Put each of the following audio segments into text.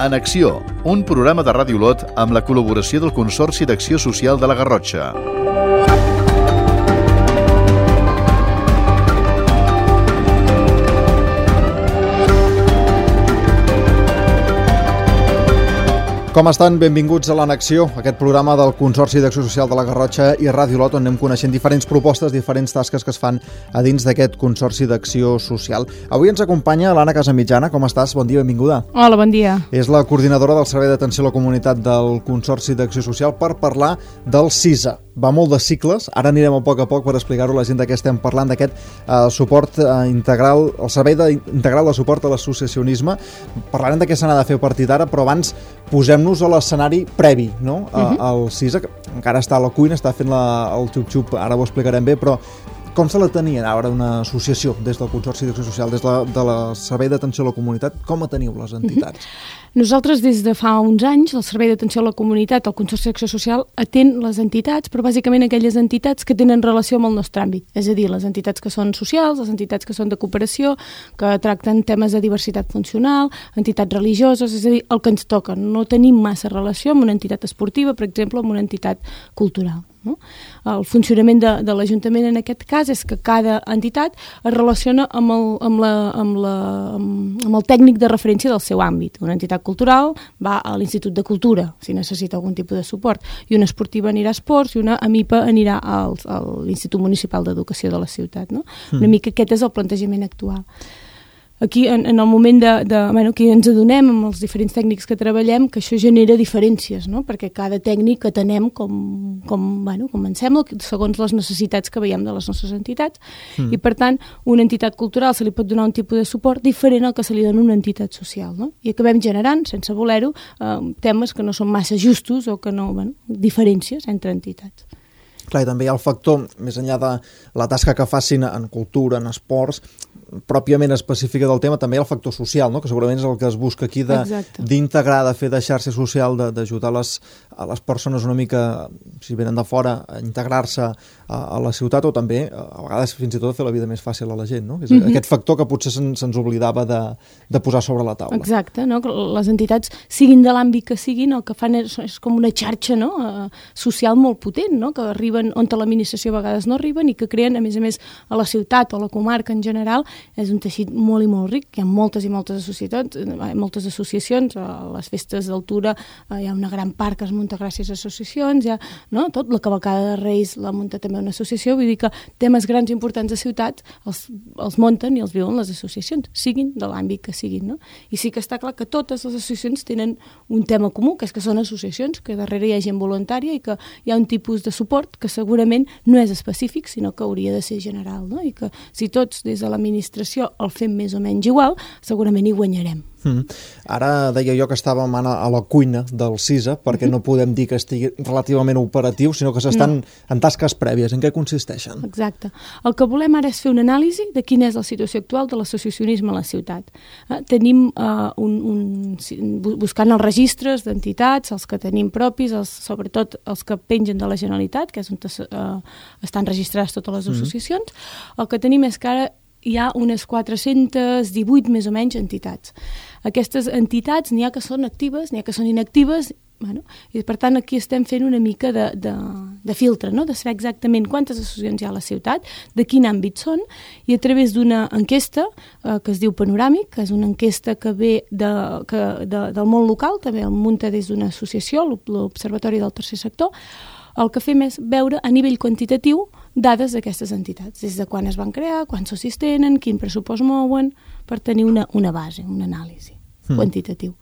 En Acció, un programa de Ràdio Olot amb la col·laboració del Consorci d'Acció Social de la Garrotxa. Com estan? Benvinguts a l'Anacció, aquest programa del Consorci d'Acció Social de la Garrotxa i Ràdio Olot, on anem coneixent diferents propostes, diferents tasques que es fan a dins d'aquest Consorci d'Acció Social. Avui ens acompanya l'Anna Casamitjana. Com estàs? Bon dia, benvinguda. Hola, bon dia. És la coordinadora del Servei d'Atenció a la Comunitat del Consorci d'Acció Social per parlar del CISA. Va molt de cicles, ara anirem a poc per explicar-ho a la gent de què estem parlant, d'aquest suport integral, el Servei Integral de Suport a l'Associacionisme. Parlarem de què se n'ha de fer a partir d'ara, però abans posem-nos a l'escenari previ, no? El CISA, que encara està a la cuina, està fent el xup-xup, ara ho explicarem bé, però com se la tenia ara una associació des del Consorci d'Acció Social, des del Servei d'Atenció a la Comunitat? Com la teniu, les entitats? Nosaltres, des de fa uns anys, el Servei d'Atenció a la Comunitat, el Consorci d'Acció Social, atén les entitats, però bàsicament aquelles entitats que tenen relació amb el nostre àmbit. És a dir, les entitats que són socials, les entitats que són de cooperació, que tracten temes de diversitat funcional, entitats religioses, és a dir, el que ens toca. No tenim massa relació amb una entitat esportiva, per exemple, amb una entitat cultural. No? El funcionament de l'Ajuntament en aquest cas és que cada entitat es relaciona amb el tècnic de referència del seu àmbit. Una entitat cultural va a l'Institut de Cultura si necessita algun tipus de suport, i una esportiva anirà a esports i una AMIPA anirà a l'Institut Municipal d'Educació de la ciutat. No? Una mica aquest és el plantejament actual. Aquí, en el moment que ens adonem amb els diferents tècnics que treballem, que això genera diferències, no? Perquè cada tècnic atenem com ens sembla, segons les necessitats que veiem de les nostres entitats, i per tant, una entitat cultural se li pot donar un tipus de suport diferent al que se li dona una entitat social, no? I acabem generant, sense voler-ho, temes que no són massa justos o que no, diferències entre entitats. Clar, i també hi ha el factor, més enllà de la tasca que facin en cultura, en esports, pròpiament específica del tema, també hi ha el factor social, no? Que segurament és el que es busca aquí d'integrar, de fer de xarxa social, d'ajudar a les persones una mica, si venen de fora, a integrar-se a la ciutat, o també, a vegades, fins i tot, fer la vida més fàcil a la gent, no? És aquest factor que potser se'ns oblidava de posar sobre la taula. Exacte, no? Les entitats, siguin de l'àmbit que siguin, el que fan és com una xarxa, no? Social molt potent, no? Que arriben on l'administració a vegades no arriben i que creen, a més, a la ciutat o a la comarca en general, és un teixit molt i molt ric. Hi ha moltes i moltes associacions, a les festes d'altura hi ha una gran part que es munta gràcies a associacions, tot, la cavalcada de Reis la munta també una associació, vull dir que temes grans i importants de ciutat els munten i els viuen les associacions, siguin de l'àmbit que siguin, no? I sí que està clar que totes les associacions tenen un tema comú, que és que són associacions, que darrere hi ha gent voluntària i que hi ha un tipus de suport que segurament no és específic, sinó que hauria de ser general, no? I que si tots des de l'administració el fem més o menys igual, segurament hi guanyarem. Ara deia jo que estàvem a la cuina del CISA, perquè no podem dir que estigui relativament operatiu, sinó que s'estan en tasques prèvies. En què consisteixen? Exacte. El que volem ara és fer una anàlisi de quina és la situació actual de l'associacionisme a la ciutat. Tenim buscant els registres d'entitats, els que tenim propis, sobretot els que pengen de la Generalitat, que és on estan registrades totes les associacions. El que tenim és que ara hi ha unes 418 més o menys entitats. Aquestes entitats n'hi ha que són actives, n'hi ha que són inactives, i per tant aquí estem fent una mica de filtre, no? De saber exactament quantes associacions hi ha a la ciutat, de quin àmbit són, i a través d'una enquesta que es diu Panoràmic, que és una enquesta que ve del món local, també el munta des d'una associació, l'Observatori del Tercer Sector. El que fem és veure a nivell quantitatiu dades d'aquestes entitats, des de quan es van crear, quants socis tenen, quin pressupost mouen, per tenir una base, una anàlisi quantitatiu.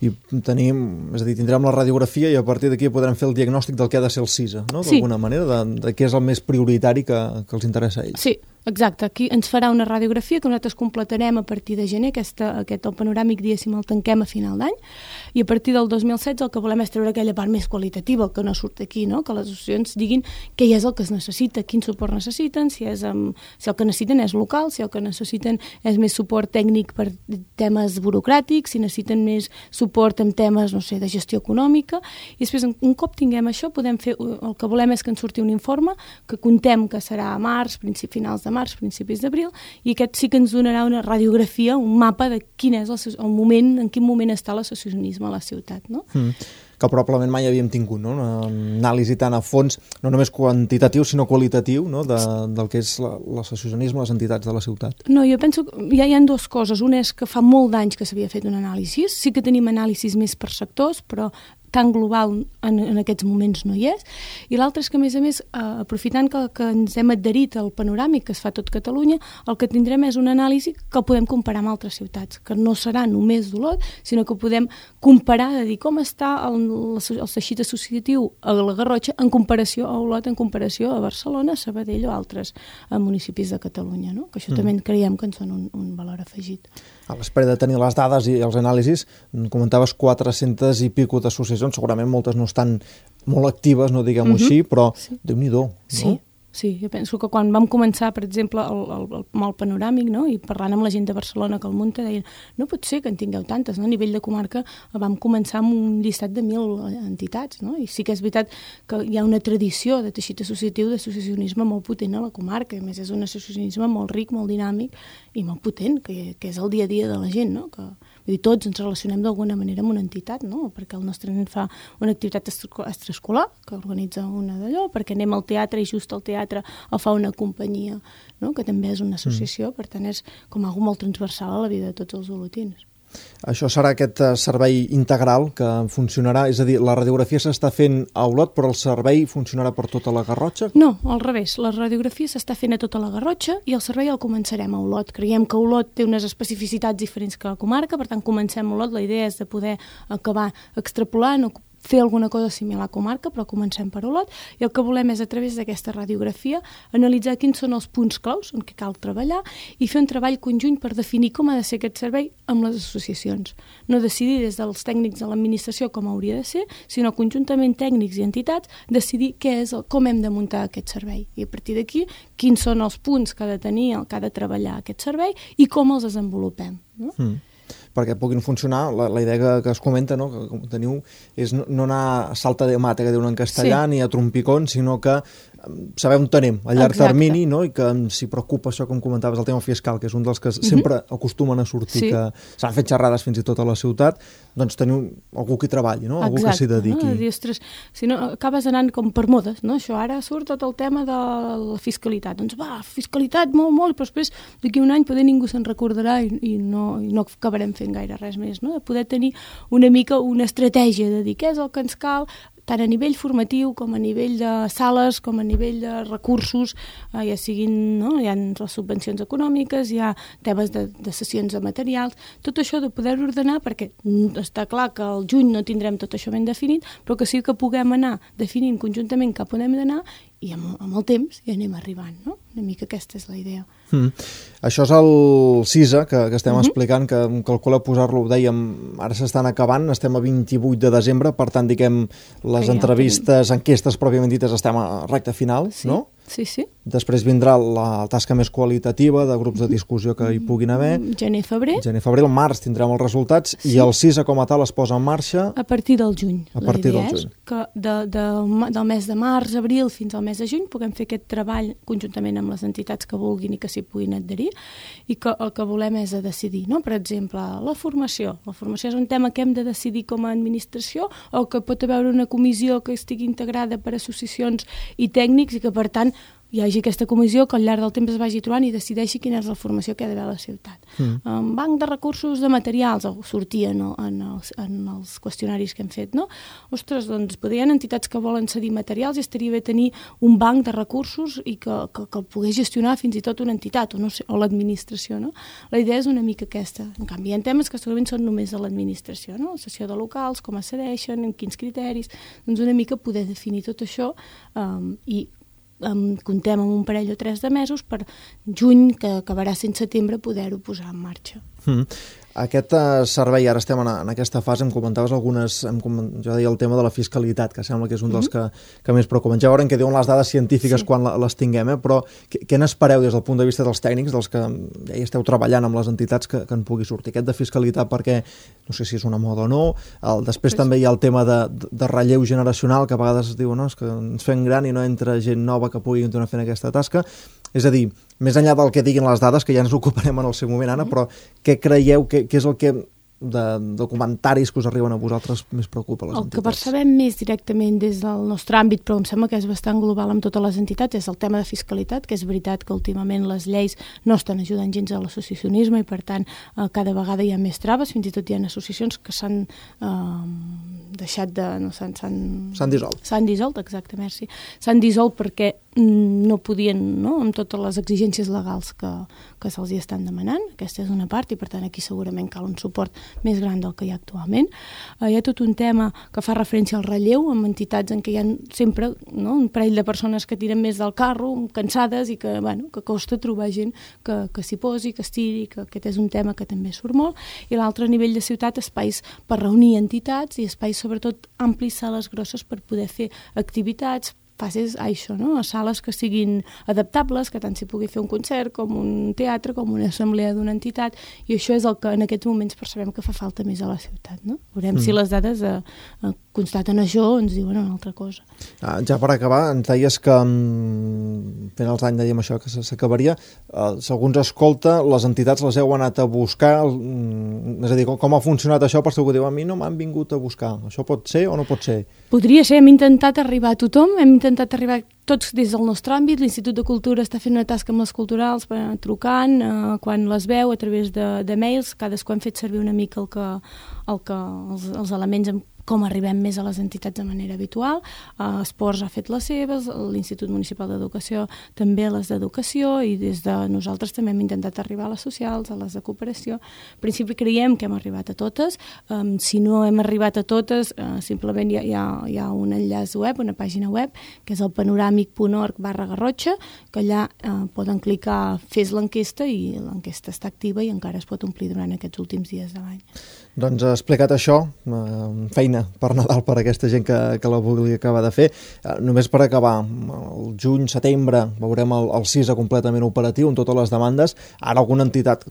I tindrem la radiografia i a partir d'aquí podrem fer el diagnòstic del que ha de ser el CISA, no? D'alguna manera, de què és el més prioritari que els interessa a ells. Sí, exacte. Aquí ens farà una radiografia que nosaltres completarem a partir de gener, el panoràmic, diguéssim, el tanquem a final d'any, i a partir del 2016 el que volem és treure aquella part més qualitativa, el que no surt aquí, no? Que les associacions diguin què és el que es necessita, quin suport necessiten, si el que necessiten és local, si el que necessiten és més suport tècnic per temes burocràtics, si necessiten més suport en temes, no sé, de gestió econòmica, i després, un cop tinguem això, podem fer, el que volem és que ens surti un informe, que contem que serà a març, finals de març, principis d'abril, i aquest sí que ens donarà una radiografia, un mapa de quin és el moment, en quin moment està l'associacionisme a la ciutat, no? Que probablement mai havíem tingut, no? Una anàlisi tan a fons, no només quantitatiu, sinó qualitatiu, no? Del que és l'associacionisme, les entitats de la ciutat. No, jo penso que hi ha dues coses. Una és que fa molt d'anys que s'havia fet un anàlisi. Sí que tenim anàlisis més per sectors, però tan global en aquests moments no hi és. I l'altre és que, a més, aprofitant que ens hem adherit al panoràmic que es fa a tot Catalunya, el que tindrem és una anàlisi que podem comparar amb altres ciutats, que no serà només d'Olot, sinó que podem comparar, de dir com està el teixit associatiu a la Garrotxa en comparació a Olot, en comparació a Barcelona, Sabadell o altres municipis de Catalunya, no? Que això també creiem que ens dona un valor afegit. A l'espera de tenir les dades i els anàlisis, comentaves 400 i pico d'associacions, segurament moltes no estan molt actives, no diguem-ho així, però Déu-n'hi-do, no? Sí, jo penso que quan vam començar, per exemple, el panoràmic, no? I parlant amb la gent de Barcelona que el munta, deien, no pot ser que en tingueu tantes, no? A nivell de comarca vam començar amb un llistat de 1.000 entitats, no? I sí que és veritat que hi ha una tradició de teixit associatiu, d'associacionisme molt potent a la comarca, a més és un associacionisme molt ric, molt dinàmic i molt potent, que és el dia a dia de la gent, no? Vull dir, tots ens relacionem d'alguna manera amb una entitat, no? Perquè el nostre nen fa una activitat extraescolar, que organitza una d'allò, perquè anem al teatre i just al teatre o fa una companyia, no? Que també és una associació, per tant és com algo molt transversal a la vida de tots els olotins. Això serà aquest servei integral que funcionarà, és a dir, la radiografia s'està fent a Olot, però el servei funcionarà per tota la Garrotxa? No, al revés, la radiografia s'està fent a tota la Garrotxa i el servei el començarem a Olot. Creiem que Olot té unes especificitats diferents que la comarca, per tant comencem a Olot, la idea és de poder acabar extrapolant o fer alguna cosa similar a comarca, però comencem per Olot, i el que volem és, a través d'aquesta radiografia, analitzar quins són els punts claus en què cal treballar i fer un treball conjunt per definir com ha de ser aquest servei amb les associacions. No decidir des dels tècnics de l'administració com hauria de ser, sinó conjuntament tècnics i entitats decidir com hem de muntar aquest servei. I a partir d'aquí, quins són els punts que ha de tenir, que ha de treballar aquest servei i com els desenvolupem. No? Perquè puguin funcionar, la idea que es comenta, no, que teniu, és no anar a salta de mata, que diuen en castellà, ni a trompicón, sinó que saber on tenim a llarg termini, no? I que s'hi preocupa això, com comentaves, el tema fiscal, que és un dels que sempre acostumen a sortir, que s'han fet xerrades fins i tot a la ciutat, doncs teniu algú que hi treballi, no? Algú que s'hi dediqui. No? Ostres, si no, acabes anant com per modes, no? Això ara surt tot el tema de la fiscalitat. Doncs va, fiscalitat, molt, però després d'aquí un any poder ningú se'n recordarà i no acabarem fent gaire res més, no? De poder tenir una mica una estratègia de dir què és el que ens cal, tant a nivell formatiu com a nivell de sales, com a nivell de recursos, ja siguin, no? Hi ha les subvencions econòmiques, hi ha temes de sessions de materials, tot això de poder ordenar, perquè està clar que al juny no tindrem tot això ben definit, però que sí que puguem anar definint conjuntament cap on hem d'anar i amb el temps hi anem arribant, no? Una mica aquesta és la idea. Això és el CISA que estem explicant, que em calcula posar-lo, ho dèiem, ara s'estan acabant, estem a 28 de desembre, per tant, diguem, les entrevistes, enquestes pròpiament dites, estem a recta final, no? Sí. Després vindrà la tasca més qualitativa de grups de discussió que hi puguin haver. Gener-febrer. Al març tindrem els resultats i el CISA com a tal es posa en marxa a partir del juny. A partir del juny. Que del mes de març, abril fins al mes de juny puguem fer aquest treball conjuntament amb les entitats que vulguin i que s'hi puguin adherir i que el que volem és decidir, no? Per exemple, la formació. La formació és un tema que hem de decidir com a administració o que pot haver una comissió que estigui integrada per associacions i tècnics i que, per tant, hi hagi aquesta comissió que al llarg del temps es vagi trobant i decideixi quina és la formació que ha d'haver a la ciutat. Banc de recursos de materials, sortia en els qüestionaris que hem fet, no? Ostres, doncs hi ha entitats que volen cedir materials i estaria bé tenir un banc de recursos i que el pogués gestionar fins i tot una entitat o l'administració, no? La idea és una mica aquesta. En canvi, hi ha temes que segurament són només de l'administració, no? La cessió de locals, com es cedeixen, en quins criteris, doncs una mica poder definir tot això i comptem amb un parell o 3 de mesos per juny, que acabarà sent setembre, poder-ho posar en marxa. Aquest servei, ara estem en aquesta fase, em comentaves algunes, jo deia el tema de la fiscalitat, que sembla que és un dels que més preocupen. Ja veurem què diuen les dades científiques quan les tinguem, però què n'espereu des del punt de vista dels tècnics, dels que ja hi esteu treballant amb les entitats que en pugui sortir? Aquest de fiscalitat, perquè no sé si és una moda o no, després també hi ha el tema de relleu generacional, que a vegades es diu, no, és que ens fem gran i no entra gent nova que pugui continuar fent aquesta tasca. És a dir, més enllà del que diguin les dades, que ja ens ocuparem en el seu moment, Anna, però què creieu que és el que de comentaris que us arriben a vosaltres més preocupa les entitats? El que percebem més directament des del nostre àmbit, però em sembla que és bastant global amb totes les entitats, és el tema de fiscalitat, que és veritat que últimament les lleis no estan ajudant gens a l'associacionisme i per tant cada vegada hi ha més traves, fins i tot hi ha associacions que s'han deixat de... S'han dissolt. S'han dissolt, exacte, merci. S'han dissolt perquè no podien, no?, amb totes les exigències legals que se'ls hi estan demanant. Aquesta és una part i per tant aquí segurament cal un suport més gran del que hi ha actualment. Hi ha tot un tema que fa referència al relleu amb entitats en què hi ha sempre, no?, un parell de persones que tiren més del carro, cansades i que, bueno, que costa trobar gent que s'hi posi, que estiri, que aquest és un tema que també surt molt. I l'altre, a nivell de ciutat, espais per reunir entitats i espais sobretot amplis, sales grosses per poder fer activitats, passes a això, no?, a sales que siguin adaptables, que tant s'hi pugui fer un concert com un teatre, com una assemblea d'una entitat, i això és el que en aquests moments percebem que fa falta més a la ciutat, no? Veurem si les dades constaten això o ens diuen una altra cosa. Ja per acabar, ens deies que finals d'any dèiem això, que s'acabaria. Si algú ens escolta, les entitats les heu anat a buscar, és a dir, com ha funcionat això per si algú diu, a mi no m'han vingut a buscar. Això pot ser o no pot ser? Podria ser, hem intentat arribar a tothom, hem intentat arribar tots des del nostre àmbit. L'Institut de Cultura està fent una tasca amb les culturals, trucant, quan les veu, a través de mails, cadascú hem fet servir una mica els elements amb com arribem més a les entitats de manera habitual. Esports ha fet les seves, l'Institut Municipal d'Educació també les d'Educació, i des de nosaltres també hem intentat arribar a les socials, a les de cooperació. En principi creiem que hem arribat a totes. Si no hem arribat a totes, simplement hi ha un enllaç web, una pàgina web, que és el panoramic.org/Garrotxa, que allà poden clicar fes l'enquesta i l'enquesta està activa i encara es pot omplir durant aquests últims dies de l'any. Doncs explicat això, feina per Nadal per aquesta gent que la vulgui acabar de fer. Només per acabar, el juny, setembre, veurem el CISA completament operatiu amb totes les demandes. Ara alguna entitat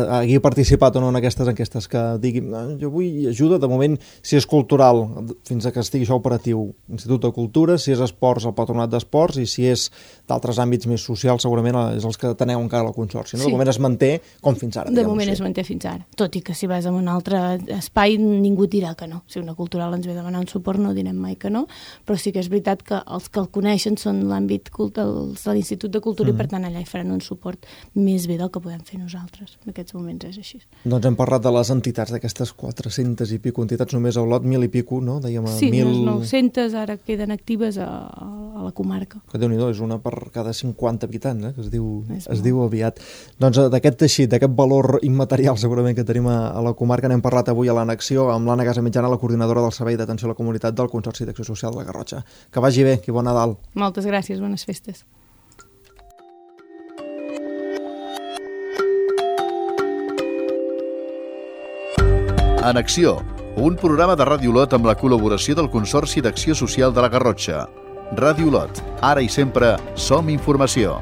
hagi participat o no en aquestes enquestes que digui jo vull ajuda, de moment, si és cultural, fins a que estigui això operatiu, Institut de Cultura, si és esports, el Patronat d'Esports, i si és d'altres àmbits més socials, segurament és els que teneu encara al Consorci. No? Sí. De moment es manté com fins ara. De moment es manté fins ara, tot i que si vas a un altre espai ningú dirà que no. Si una cultural ens ve a demanar un suport no direm mai que no, però sí que és veritat que els que el coneixen són l'àmbit de l'Institut de Cultura i per tant allà hi faran un suport més bé del que podem fer nosaltres. En aquests moments és així. Doncs hem parlat de les entitats, d'aquestes 400 i pico entitats, només a Olot, 1.000 i pico, no? Dèiem sí, 900 ara queden actives a la comarca. Que Déu-n'hi-do, és una per cada 50 habitants, que es diu aviat. Doncs d'aquest teixit, d'aquest valor immaterial segurament que tenim a la comarca, n'hem parlat avui a l'Annexió amb l'Anna Casamitjana, la coordinadora del Servei d'Atenció a la Comunitat del Consorci d'Acció Social de la Garrotxa. Que vagi bé i bon Nadal. Moltes gràcies, bones festes. Annexió, un programa de Ràdio Olot amb la col·laboració del Consorci d'Acció Social de la Garrotxa. Ràdio Olot, ara i sempre som informació.